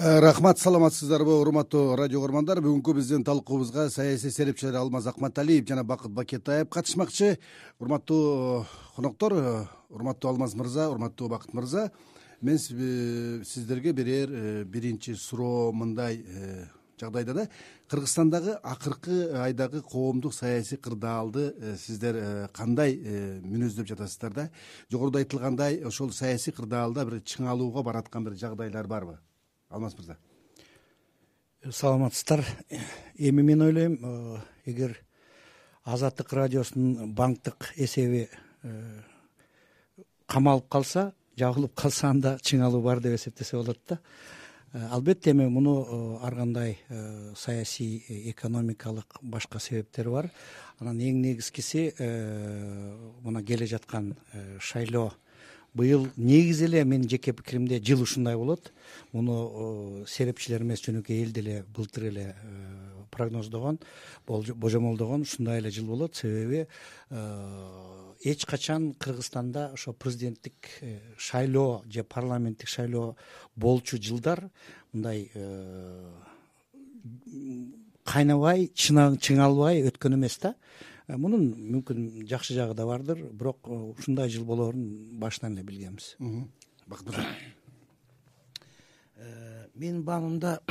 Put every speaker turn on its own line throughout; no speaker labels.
Рахмат, саламатсыздарбы урматтуу радио көрмандар. Бүгүнкү биздин талкуубузга саясий серепчилер Алмаз Акматалиев жана Бакыт Бакетаев катышмакчы. Урматтуу коноктор, урматтуу Алмаз мырза, урматтуу Бакыт мырза, мен сиздерге берер биринчи суроо мындай: жагдайда да Кыргызстандагы акыркы айдагы коомдук саясий кырдаалды сиздер кандай мүнөздөп жатасыздар да? Жогоруда айтылгандай, ошол саясий кырдаалда бир чыңалууга бараткан бир жагдайлар барбы? Алмаз мырза.
Саламатсыздар. Эми мен ойлойм, эгер Азаттык радиосунун банктык эсеби камалып калса, жабылып калса, анда чыңалуу бар деп эсептесе болот да. Албетте эми муну ар кандай саясий, экономикалык башка себептери бар. Анан эң негизгиси мына келе жаткан шайлоо. Быйыл негизи эле менин жеке пикиримде жыл ушундай болот. Муну серепчилер эмес, жөнөкөй эл деле былтыр эле прогноздогон, божомолдогон ушундай эле жыл болот. Себеби эч качан Кыргызстанда ошо президенттик шайлоо же парламенттик шайлоо болчу жылдар мындай кайнабай, чыңалбай өткөн эмес да. Мунун мүмкүн жакшы жагы да бардыр, бирок ушундай жыл болоорун башынан эле билгенбиз.
Менин баамымда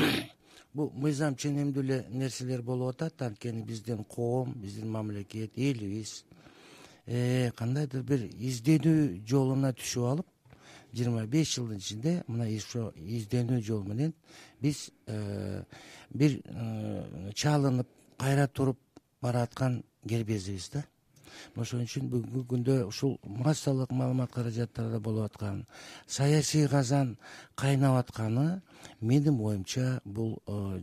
бул мыйзам ченемдүү эле нерселер болуп атат. Анткени биздин коом, биздин мамлекет, элибиз кандайдыр бир изденүү жолуна түшүп алып, 25 жылдын ичинде мына ошо изденүү жол менен биз бир чалынып, кайра туруп бараткан кербезибиз да. Ошон үчүн бүгүнкү күндө ушул массалык маалымат каражаттарда болуп аткан саясий казан кайнап атканы, менин оюмча, бул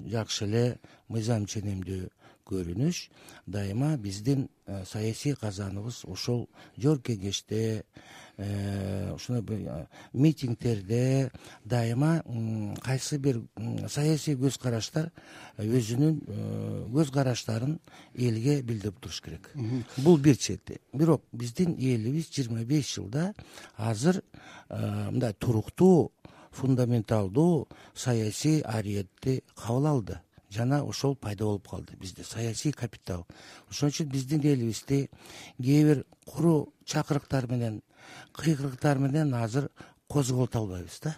жакшы эле мыйзам ченемдүү көрүнүш. Дайыма биздин саясий казаныбыз ошол жор кеңеште, ушундай митингдерде дайыма кайсы бир саясий көз караштар өзүнүн көз караштарын элге билдирип туруш керек. Бул бир чети. Бирок биздин элибиз 25 жылда азыр мындай туруктуу, фундаменталдуу саясий ариетти кабыл алды. Жана ошол пайда болуп калды бизде саясий капитал. Ошон үчүн биздин элибизди кээ бир куру чакырыктар менен, кыйкырыктар менен азыр козголто албайбыз да.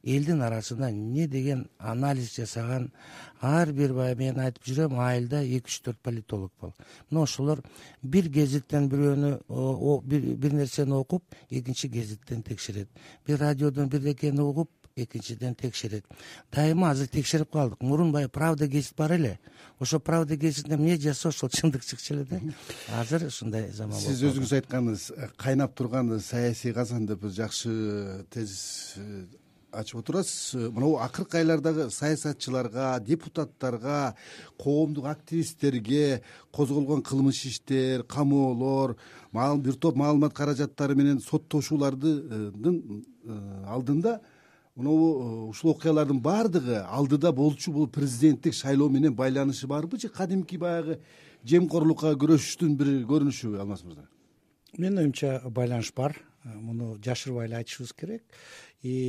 Элдин арасында эмне деген анализ жасаган ар бир, мен айтып жүрөм, айылда 2-3-4 политолог бар. Мына ошолор бир гезиттен бирөөнү бир нерсени окуп, экинчи гезиттен текшерет. Бир радиодон бирдекени угуп, экинчиден текшерет. Дайыма азыр текшерип калдык. Мурун баягы Правда гезит бар эле. Ошо Правда гезитинде эмне жазса, ошол чындык чыкчу эле да. Азыр ушундай заман болуп.
Сиз өзүңүз айтканыңыз, кайнап турган саясий казан деп жакшы тезис ачып отурасыз. Мына акыркы айлардагы саясатчыларга, депутаттарга, коомдук активисттерге козголгон кылмыш иштер, камоолор, бир топ маалымат каражаттары менен соттошуулардын алдында ушул окуялардын баардыгы алдыда болчу бул президенттик шайлоо менен байланышы барбы же кадимки баягы жемкорлукка күрөшүштүн бир көрүнүшүбү, Алмаз мырза?
Менин оюмча байланыш бар. Муну жашырбай эле айтышыбыз керек.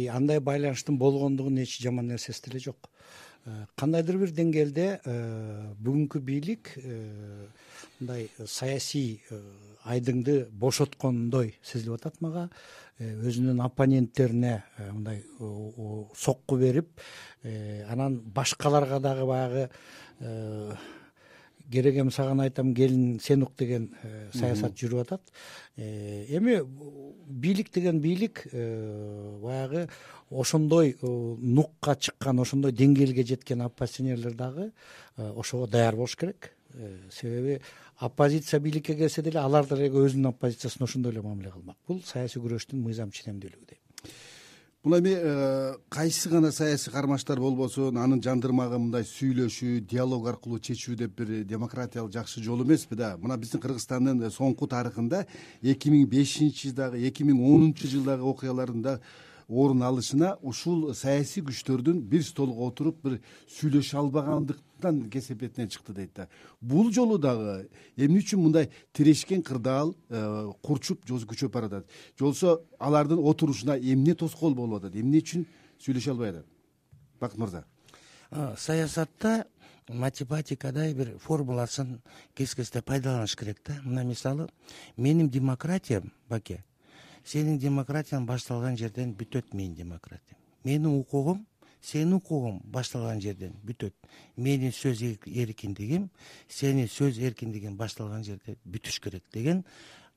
Андай байланыштын болгондугунун эч жаман нерсеси деле жок. Кандайдыр бир деңгээлде бүгүнкү бийлик мындай саясий айдыңды бошоткондой сезилип атат мага. Өзүнүн оппоненттерине мындай сокку берип, анан башкаларга дагы баягы керегем саган айтам, келин сен ук деген саясат жүрүп атат. Эми бийлик деген бийлик баягы ошондой нукка чыккан, ошондой деңгээлге жеткен оппозиционерлер дагы ошого даяр болуш керек. Себеби оппозиция бийликке келсе деле алар деле өзүнүн оппозициясына ошондой эле мамиле кылмак. Бул саясий күрөштүн мыйзам ченемдүүлүгү дейм.
Бул эми кайсы гана саясий кармаштар болбосун, анын жандырмагы мындай сүйлөшүү, диалог аркылуу чечүү деп бир демократиялык жакшы жол эмеспи да? Мына биздин Кыргызстандын соңку тарыхында 2005-жылдагы, 2010-жылдагы окуялардын да орун алышына ушул саясий күчтөрдүн бир столго отуруп бир сүйлөшө албагандыктан кесепетинен чыкты дейт да. Бул жолу дагы эмне үчүн мындай тирешкен кырдаал курчуп күчөп баратат? Жолсо алардын отурушуна эмне тоскоол болуп атат? Эмне үчүн сүйлөшө албай атат? Бакыт мырза?
Саясатта математикадай бир формуласын кез кезде пайдаланыш керек да. Мына мисалы, менин демократиям, Баке, сенин демократияң башталган жерден бүтөт. Менин демократиям, менин укугум сенин укугуң башталган жерден бүтөт. Менин сөз эркиндигим сенин сөз эркиндигиң башталган жерде бүтүш керек деген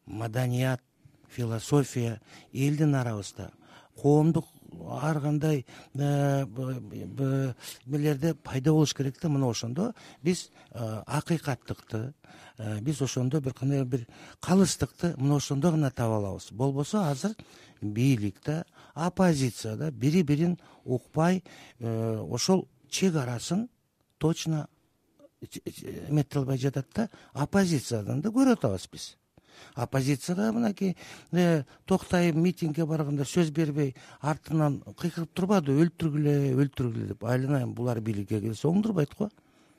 маданият, философия элдин арабызда, коомдук ар кандай мелерде пайда болуш керек да. Мына ошондо биз акыйкаттыкты, биз ошондо бир кандай бир калыстыкты мына ошондо гана таба алабыз. Болбосо азыр бийликте, оппозицияда бири бирин укпай, ошол чек арасын точно эмете албай жатат да. Оппозициядан да көрүп атабыз биз. Оппозицияда мынакей Токтаев митингге барганда сөз бербей артынан кыйкырып турбады, өлтүргүлө деп. Айланайын, булар бийликке келсе оңдурбайт го.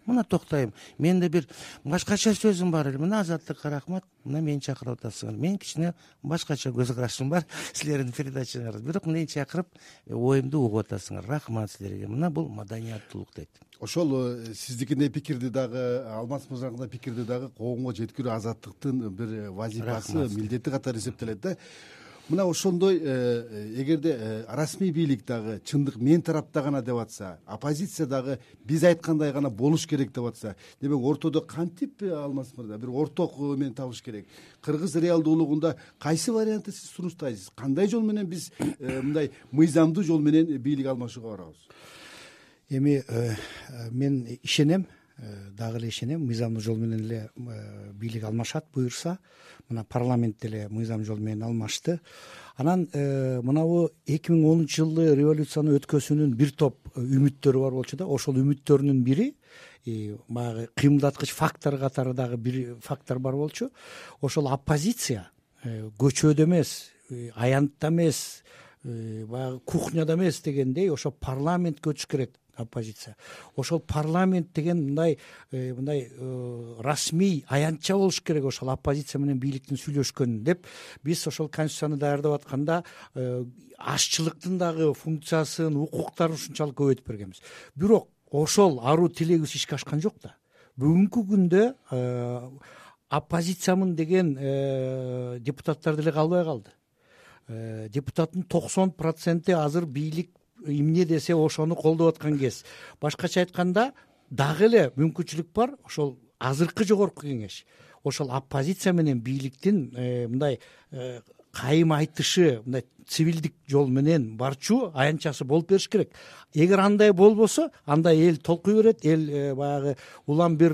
Мына Токтаев, менде бир башкача сөзүм бар эле. Мына Азаттыкка рахмат, мына мени чакырып атасыңар. Мен кичине башкача көз карашым бар силердин передачаңарда. Бирок мени чакырып оюмду угуп атасыңар. Рахмат силерге. Мына бул маданияттуулук дейт.
Ошол сиздикиндей пикирди дагы, Алмаз мырзаныкындай пикирди дагы коомго жеткирүү Азаттыктын бир вазифасы, милдети катары эсептелет да. Мына ошондой эгерде расмий бийлик дагы чындык мен тарапта гана деп атса, оппозиция дагы биз айткандай гана болуш керек деп атса, демек ортодо кантип, Алмаз мырза, бир орток эмени табыш керек? Кыргыз реалдуулугунда кайсы вариантты сиз сунуштайсыз? Кандай жол менен биз мындай мыйзамдуу жол менен бийлик алмашууга барабыз?
Эми мен ишенем, дагы эле ишенем, мыйзамдуу жол менен эле бийлик алмашат буюрса. Мына парламент деле мыйзам жол менен алмашты. Анан мынабу 2010-жылы революцияны өткөзүүнүн бир топ үмүттөрү бар болчу да. Ошол үмүттөрүнүн бири баягы кыймылдаткыч фактор катары дагы бир фактор бар болчу. Ошол оппозиция көчөдө эмес, аянтта эмес, баягы кухняда эмес дегендей, ошо парламентке өтүш керек оппозиция. Ошол парламент деген мындай расмий аянтча болуш керек, ошол оппозиция менен бийликтин сүйлөшкөнүн деп биз ошол конституцияны даярдап атканда ашчылыктын дагы функциясын, укуктарын ушунчалык көбөйтүп бергенбиз. Бирок ошол аруу тилегибиз ишке ашкан жок да. Бүгүнкү күндө оппозициямын деген депутаттар деле калбай калды. Депутаттын 90% азыр бийлик эмне десе ошону колдоп аткан кез. Башкача айтканда дагы эле мүмкүнчүлүк бар. Ошол азыркы жогорку кеңеш ошол оппозиция менен бийликтин мындай кайым айтышы, мындай цивилдик жол менен барчу аянтчасы болуп бериш керек. Эгер андай болбосо, анда эл толкуй берет, эл баягы улам бир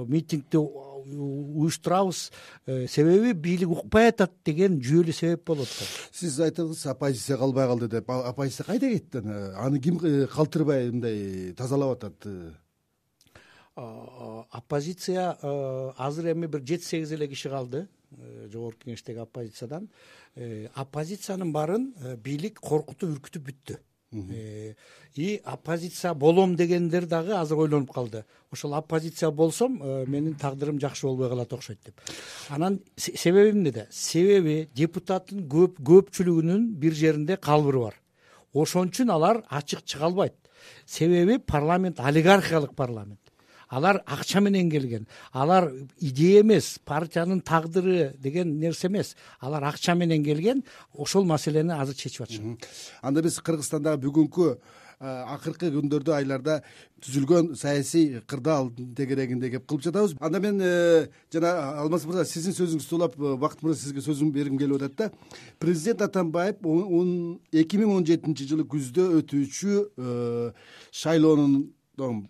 митингди уюштурабыз, себеби бийлик укпай атат деген жүйөлүү себеп болот го.
Сиз айттыңыз, оппозиция калбай калды деп. Оппозиция кайда кетти? Аны ким калтырбай мындай тазалап атат?
Оппозиция азыр эми бир 7-8 эле киши калды жогорку кеңештеги оппозициядан. Оппозициянын баарын бийлик коркутуп, үркүтүп бүттү. И оппозиция болом дегендер дагы азыр ойлонуп калды. Ошол оппозиция болсом, менин тагдырым жакшы болбой калат окшойт деп. Анан себеби эмнеде? Себеби депутаттын көпчүлүгүнүн бир жеринде калбыры бар. Ошон үчүн алар ачык чыга албайт. Себеби парламент олигархиялык парламент. Алар акча менен келген. Алар идея эмес, партиянын тагдыры деген нерсе эмес. Алар акча менен келген. Ошол маселени азыр чечип атышат.
Анда биз Кыргызстандагы бүгүнкү акыркы күндөрдө, айларда түзүлгөн саясий кырдаал тегерегинде кеп кылып жатабыз. Анда мен жана Алмаз мырза, сиздин сөзүңүздү улап, Бакыт мырза, сизге сөзүм бергим келип атат да. Президент Атамбаев 2017 жылы күздө өтүүчү шайлоонун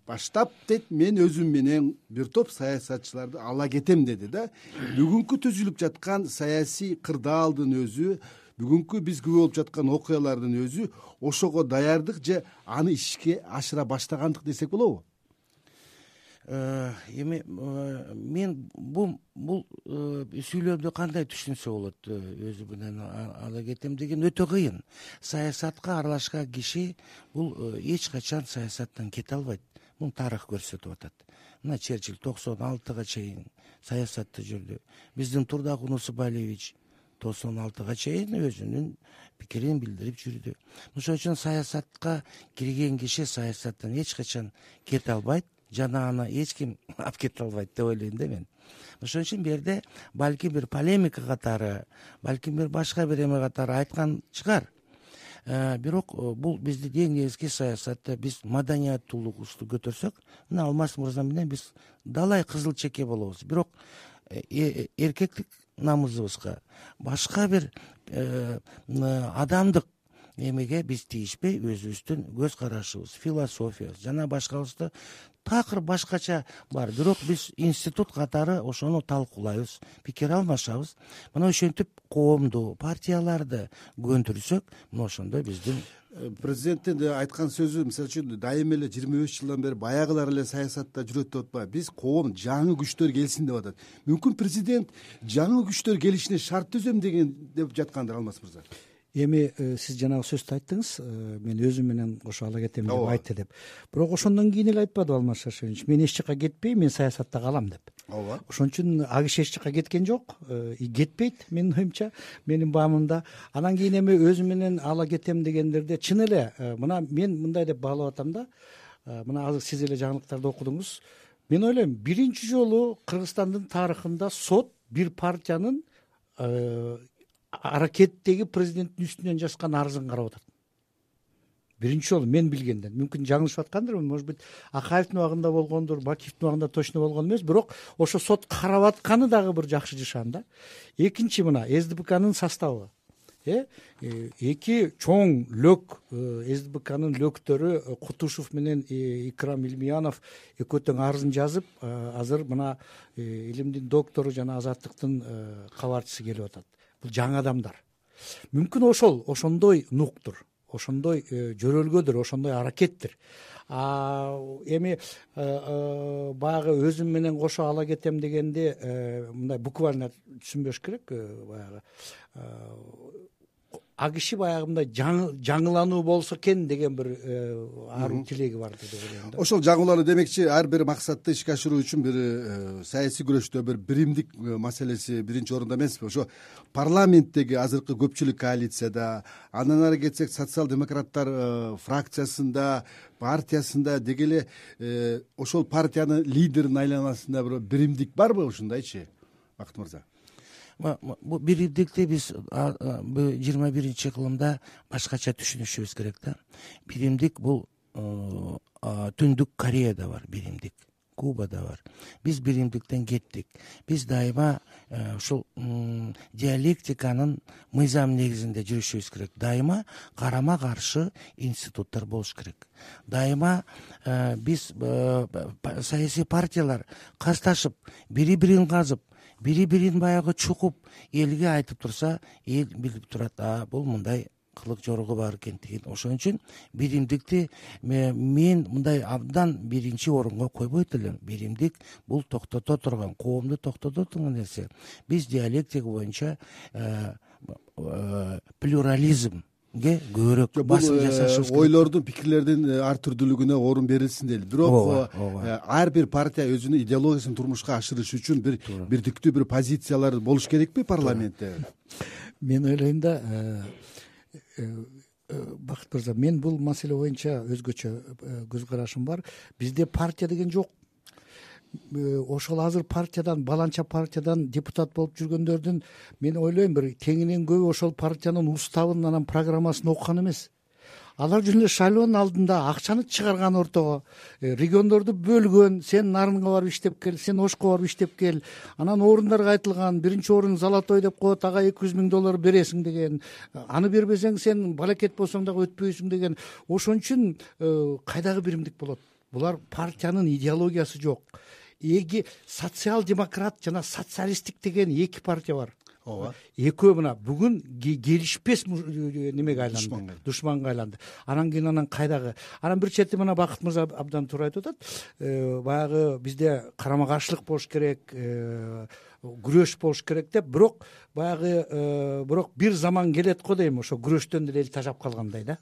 баштап дейт, мен өзүм менен бир топ саясатчыларды ала кетем деди да. Бүгүнкү түзүлүп жаткан саясий кырдаалдын өзү, бүгүнкү биз күбө болуп жаткан окуялардын өзү ошого даярдык же аны ишке ашыра баштагандык десек болобу?
Эми мен бул сүйлөмдү кандай түшүнсө болот? Өзү менен ала кетем деген өтө кыйын. Саясатка аралашкан киши бул эч качан саясаттан кете албайт. Муну тарых көрсөтүп атат. Мына Черчилль 96-га чейин саясатта жүрдү. Биздин Турдак Унусубалиевич %96 чейин өзүнүн пикирин билдирип жүрдү. Ошон үчүн саясатка кирген киши саясаттан эч качан кете албайт жана аны эч ким алып кете албайт деп ойлойм да мен. Ошон үчүн бул жерде балким бир полемика катары, балким бир башка бир эме катары айткан чыгар. Бирок бул биздин эң негизги саясатта биз маданияттуулугубузду көтөрсөк, мына Алмаз мырза менен биз далай кызыл чеке болобуз. Бирок эркектик намысыбызга, башка бир адамдык эмеге биз тийишпей, өзүбүздүн көз карашыбыз, философиябыз жана башкабызды такыр башкача бар. Бирок биз институт катары ошону талкуулайбыз, пикир алмашабыз. Мына ошентип коомду, партияларды көндүрсөк, мына ошондо биздин
президенттин айткан сөзү, мисалы үчүн дайыма эле 25 жылдан бери баягылар эле саясатта жүрөт деп атпайбы. Биз коом жаңы күчтөр келсин деп атат. Мүмкүн президент жаңы күчтөр келишине шарт түзөм деген деп жаткандыр Алмаз мырза.
Эми сиз жанагы сөздү айттыңыз, мен өзүм менен кошо ала кетем деп айтты деп. Бирок ошондон кийин эле айтпадыбы Алмаз Шаршенович, мен эч жака кетпейм, мен саясатта калам деп.
Ооба.
Ошон үчүн ал киши эч жака кеткен жок, кетпейт менин оюмча, менин баамымда. Анан кийин эми өзүм менен ала кетем дегендерде чын эле мына мен мындай деп баалап атам да, мына азыр сиз эле жаңылыктарды окудуңуз. Мен ойлойм, биринчи жолу Кыргызстандын тарыхында сот бир партиянын аракеттеги президенттин үстүнөн жазган арызын карап атат. Биринчи жолу мен билгенден. Мүмкүн жаңылышып аткандырмын, может быть, Акаевдин убагында болгондур, Бакиевдин убагында точно болгон эмес, бирок ошо сот карап атканы дагы бир жакшы жашан да. Экинчи, мына СДПКнын составы. Эки чоң лөк СДПКнын лөктөрү Кутушев менен Икрам Илмиянов экөө тең арызын жазып, азыр мына илимдин доктору жана азаттыктын кабарчысы келип атат. Бул жаңы адамдар. Мүмкүн ошондой нуктур, ошондой жөрөлгөдүр, ошондой аракеттир. Эми баягы өзүм менен кошо ала кетем дегенде мындай буквально түшүнбөш керек. Баягы а киши баягы мындай жаңылануу болсо экен деген бир аруу тилеги бар деп ойлойм да.
Ошол жаңылануу демекчи, ар бир максатты ишке ашыруу үчүн бир саясий күрөштө бир биримдик маселеси биринчи орунда эмеспи? Ошо парламенттеги азыркы көпчүлүк коалицияда, андан ары кетсек социал-демократтар фракциясында, партиясында деги эле ошол партиянын лидеринин айланасында бир биримдик барбы ушундайчы, Бакыт мырза?
Бул биримдикти биз 21 кылымда башкача түшүнүшүбүз керек да. Биримдик бул Түндүк Кореяда бар биримдик, Кубада бар. Биз биримдиктен кеттик. Биз дайыма ушул диалектиканын мыйзам негизинде жүрүшүбүз керек. Дайыма карама каршы институттар болуш керек. Дайыма биз саясий партиялар касташып, бири-бирин казып, бири-бирин баягы чукуп элге айтып турса, эл билип турат, бул мындай кылык жорого бар экен деген. Ошон үчүн биримдикти мен мындай абдан биринчи орунга койбойт элем. Биримдик бул токтото турган, коомду токтото турган нерсе. Биз диалектика боюнча плюрализм көбүрөөк басым жасашыбыз керек.
Ойлордун, пикирлердин ар түрдүүлүгүнө орун берилсин дейли. Бирок ар бир партия өзүнүн идеологиясын турмушка ашырыш үчүн бир бирдиктүү бир позициялар болуш керекпи парламентте?
Мен ойлойм да, Бакыт мырза, мен бул маселе боюнча өзгөчө көз карашым бар. Бизде партия деген жок. Ошол азыр партиядан, баланча партиядан депутат болуп жүргөндөрдүн мен ойлойм бир теңинен көбү ошол партиянын уставын, анан программасын окуган эмес. Алар жүн эле шайлоонун алдында акчаны чыгарган ортого, региондорду бөлгөн, сен Нарынга барып иштеп кел, сен Ошко барып иштеп кел, анан орундарга айтылган, биринчи орун золотой деп коет, ага $200,000 бересиң деген, аны бербесең сен балакет болсоң дагы өтпөйсүң деген. Ошон үчүн кайдагы биримдик болот? Булар партиянын идеологиясы жок. Социал-демократ жана социалисттик деген эки партия бар. Ооба. Экөө мына бүгүн келишпес немеге айланды, душманга айланды. Анан кийин анан кайдагы? Анан бир чети мына Бакыт мырза абдан туура айтып атат. Баягы бизде карама каршылык болуш керек, күрөш болуш керек деп, бирок баягы бирок бир заман келет го дейм, ошо күрөштөн деле эл тажап калгандай да.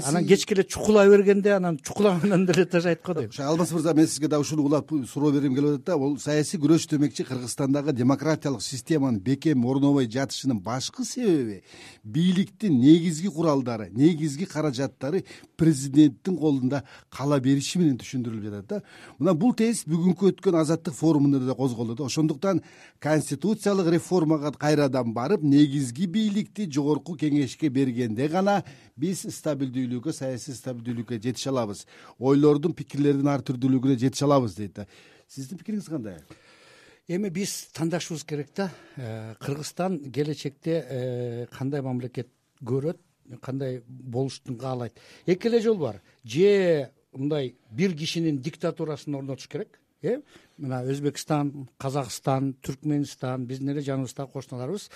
Анан кечке эле чукулай бергенде анан чукулагандан деле тажайт го дейм.
Алмаз мырза, мен сизге дагы ушуну улап суроо бергим келип атат да. Бул саясий күрөш демекчи Кыргызстандагы демократиялык системанын бекем орнобой жатышынын башкы себеби бийликтин негизги куралдары, негизги каражаттары президенттин колунда кала бериши менен түшүндүрүлүп жатат да. Мына бул тез бүгүнкү өткөн азаттык форумунда да козголду да. Ошондуктан конституциялык реформага кайрадан барып, негизги бийликти жогорку кеңешке бергенде гана биз стабилдүүлүккө, саясий стабилдүүлүккө жетише алабыз. Ойлордун, пикирлердин ар түрдүүлүгүнө жетише алабыз дейт да. Сиздин пикириңиз кандай?
Эми биз тандашыбыз керек да. Кыргызстан келечекте кандай мамлекет көрөт, кандай болуштун каалайт. Эки эле жол бар. Же мындай бир кишинин диктатурасын орнотуш керек. Мына Өзбекстан, Казакстан, Түркмөнстан, биздин эле жаныбыздагы кошуналарыбыз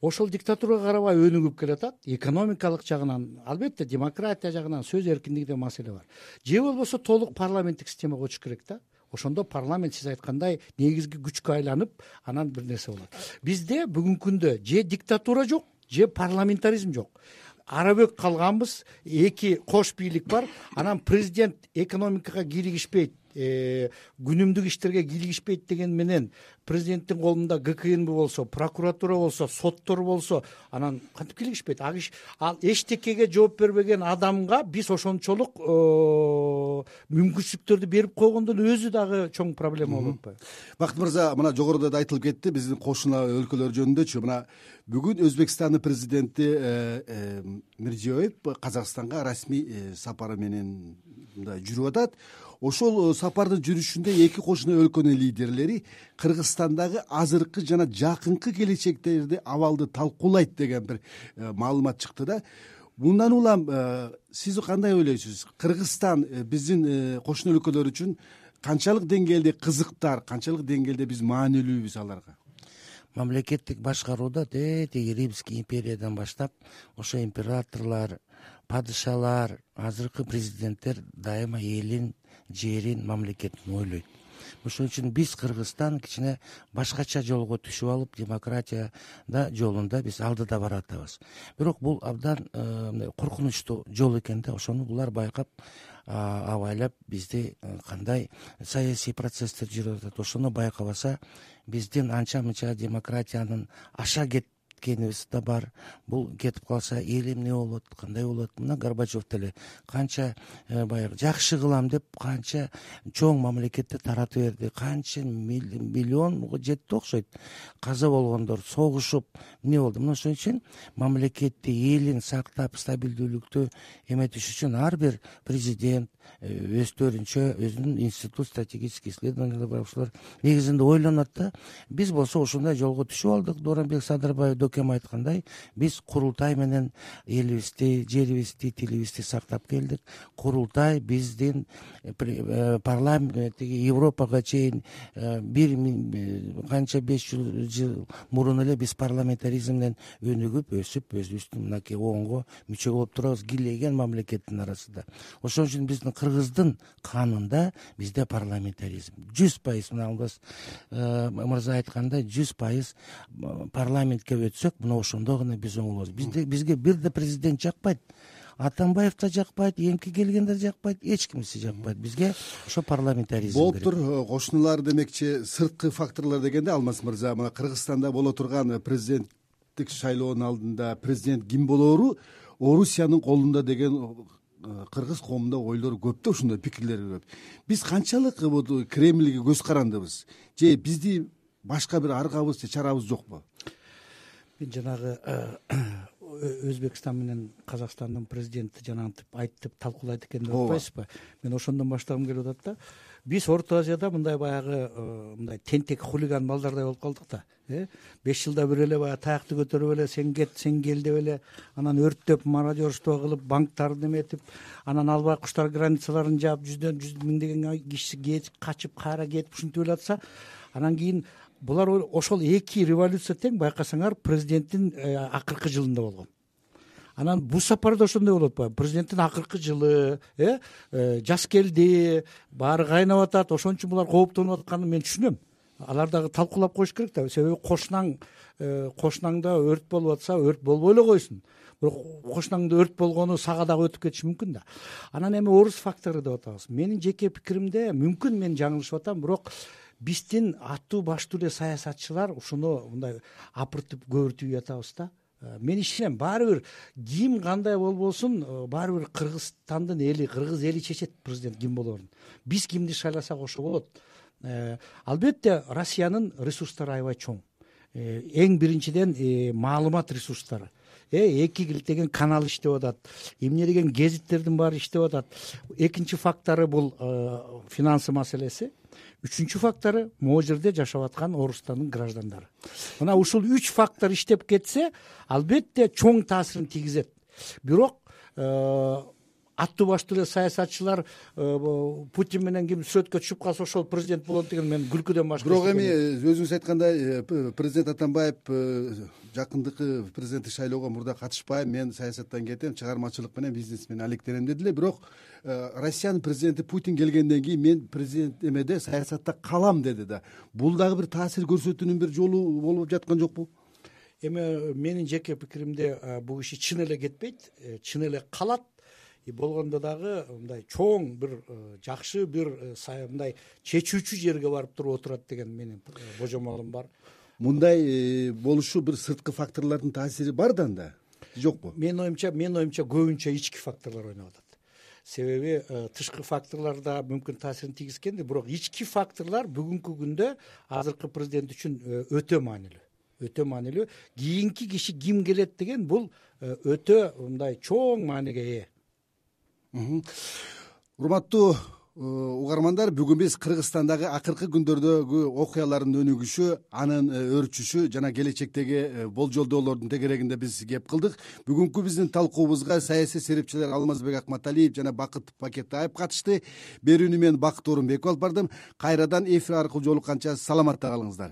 ошол диктатурага карабай өнүгүп келатат. Экономикалык жагынан, албетте демократия жагынан, сөз эркиндиги деген маселе бар. Же болбосо толук парламенттик системага көчүш керек да. Ошондо парламент сиз айткандай негизги күчкө айланып, анан бир нерсе болот. Бизде бүгүнкү күндө же диктатура жок, же парламентаризм жок. Арабөк калганбыз, эки кош бийлик бар. Анан президент экономикага кийлигишпейт, күнүмдүк иштерге кийлигишпейт деген менен президенттин колунда ГКНБ болсо, прокуратура болсо, соттор болсо, анан кантип кийлигишпейт? Ал эчтекеге жооп бербеген адамга биз ошончолук мүмкүнчүлүктөрдү берип койгондон өзү дагы чоң проблема болуп атпайбы?
Бакыт мырза, мына жогоруда да айтылып кетти биздин кошуна өлкөлөр жөнүндөчү. Мына бүгүн Өзбекстандын президенти Мирзиёев Казакстанга расмий сапары менен мындай жүрүп атат. Ошол сапардын жүрүшүндө эки кошуна өлкөнүн лидерлери Кыргызстандагы азыркы жана жакынкы келечектеги абалды талкуулайт деген бир маалымат чыкты да. Мындан улам сиз кандай ойлойсуз? Кыргызстан биздин кошуна өлкөлөр үчүн канчалык деңгээлде кызыктар, канчалык деңгээлде биз маанилүүбүз аларга?
Мамлекеттик башкарууда тетиги Римский империядан баштап ошо императорлор, падышалар, азыркы президенттер дайыма элин, жерин, мамлекетин ойлойт. Ошон үчүн биз Кыргызстан кичине башкача жолго түшүп алып, демократияда жолунда биз алдыда баратабыз. Бирок бул абдан коркунучтуу жол экен да. Ошону булар байкап, абайлап бизди кандай саясий процесстер жүрүп атат, ошону байкабаса, биздин анча-мынча демократиянын аша кеткенибиз да бар. Бул кетип калса эл эмне болот, кандай болот? Мына Горбачев деле канча баягы жакшы кылам деп канча чоң мамлекетти таратып берди, канча миллион жетти окшойт. Каза болгондор, согушуп эмне болду? Мына ошон үчүн мамлекетти, элин сактап, стабилдүүлүктү эметиш үчүн ар бир президент өздөрүнчө өзүнүн институт стратегических исследованиялар бар, ошолор негизинде ойлонот да. Биз болсо ошондой жолго түшүп алдык. Дооронбек Садырбаев Дөкем айткандай, биз курултай менен элибизди, жерибизди, тилибизди сактап келдик. Курултай биздин парламенттеги Европага чейин бир канча 500 жыл мурун эле биз парламентаризмден өнүгүп, өсүп, өзүбүздүн мынакей оңго мүчө болуп турабыз, кийлеген мамлекеттин арасында. Ошон үчүн биздин Кыргыздын канында бизде парламентаризм 100%. Мына Алмаз мырза айткандай 100% парламентке өтсөк, мына ошондо гана биз оңолобуз. Бизге бирде президент жакпайт, Атамбаев да жакпайт, эңки келгендер жакпайт, эч кимиси жакпайт. Бизге ошо парламентаризм керек.
Болуптур. Кошуналар демекчи сырткы факторлор дегенде, Алмаз мырза, мына Кыргызстанда боло турган президенттик шайлоонун алдында президент ким болоору Орусиянын колунда деген кыргыз коомунда ойлор көп да, ушундай пикирлер көп. Биз канчалык Кремльге көз карандыбыз? Же бизди башка бир аргабыз же чарабыз жокпу?
Мен жанагы Өзбекстан менен Казакстандын президенти жанагынтип айтып талкуулайт экен деп атпайсызбы? Мен ошондон баштагым келип атат да. Биз Орто Азияда мындай баягы мындай тентек хулиган балдардай болуп калдык да. 5 жылда бир эле баягы таякты көтөрүп эле сен кет, сен кел деп эле, анан өрттөп, мародерство кылып, банктарды эметип, анан албай куштар границаларын жаап, жүз миңдеген киши кетип, качып, кайра кетип ушинтип эле атса, анан кийин булар ошол эки революция тең байкасаңар президенттин акыркы жылында болгон. Анан бул сапарда ошондой болуп атпайбы? Президенттин акыркы жылы, жас келди, баары кайнап атат, ошон үчүн булар кооптонуп атканын мен түшүнөм. алар дагы талкуулап коюш керек да, себеби кошунаңда өрт болуп атса өрт болбой эле койсун, бирок кошунаңда өрт болгону сага дагы өтүп кетиши мүмкүн да. Анан эми орус фактору деп атабыз. Менин жеке пикиримде, мүмкүн мен жаңылышып атам, бирок биздин аттуу баштуу эле саясатчылар ушуну мындай апыртып көбүртүп жатабыз да. Мен ишенем, баары бир ким кандай болбосун, баары бир Кыргызстандын эли, кыргыз эли чечет президент ким болоорун. Биз кимди шайласак ошо болот. Албетте Россиянын ресурстары аябай чоң. Эң биринчиден маалымат ресурстары. 2 килтеген канал иштеп атат, эмне деген гезиттердин баары иштеп атат. Экинчи фактору бул финансы маселеси. Үчүнчү фактору могу жерде жашап аткан Орустандын граждандары. Мына ушул 3 фактор иштеп кетсе, албетте чоң таасирин тийгизет. Бирок аттуу баштуу эле саясатчылар Путин менен ким сүрөткө түшүп калса ошол президент болот деген мен күлкүдөн башка.
Бирок эми өзүңүз айткандай президент Атамбаев жакындыкы президенттик шайлоого мурда катышпайм, мен саясаттан кетем, чыгармачылык менен бизнес менен алектенем деди эле. Бирок Россиянын президенти Путин келгенден кийин мен президент эмеде саясатта калам деди да. Бул дагы бир таасир көрсөтүүнүн бир жолу болуп жаткан жокпу?
Эми менин жеке пикиримде бул киши чын эле кетпейт, чын эле калат. Болгондо дагы мындай чоң бир жакшы бир мындай чечүүчү жерге барып туруп отурат деген менин божомолум бар.
Мындай болушу бир сырткы факторлордун таасири бар да жокпу? Менин
оюмча көбүнчө ички факторлор ойноп атат. Себеби тышкы факторлор да мүмкүн таасирин тийгизгенди, бирок ички факторлор бүгүнкү күндө азыркы президент үчүн өтө маанилүү. Кийинки киши ким келет деген бул өтө мындай чоң мааниге ээ.
Урматтуу угармандар, бүгүн биз Кыргызстандагы акыркы күндөрдөгү окуялардын өнүгүшү, анын өөрчүшү жана келечектеги болжолдоолордун тегерегинде биз кеп кылдык. Бүгүнкү биздин талкуубузга саясий серепчилер Алмазбек Акматалиев жана Бакыт Бакетаев катышты. Берүүнү мен Бакыт Орунбеков алып бардым. Кайрадан эфир аркылуу жолукканча саламатта калыңыздар.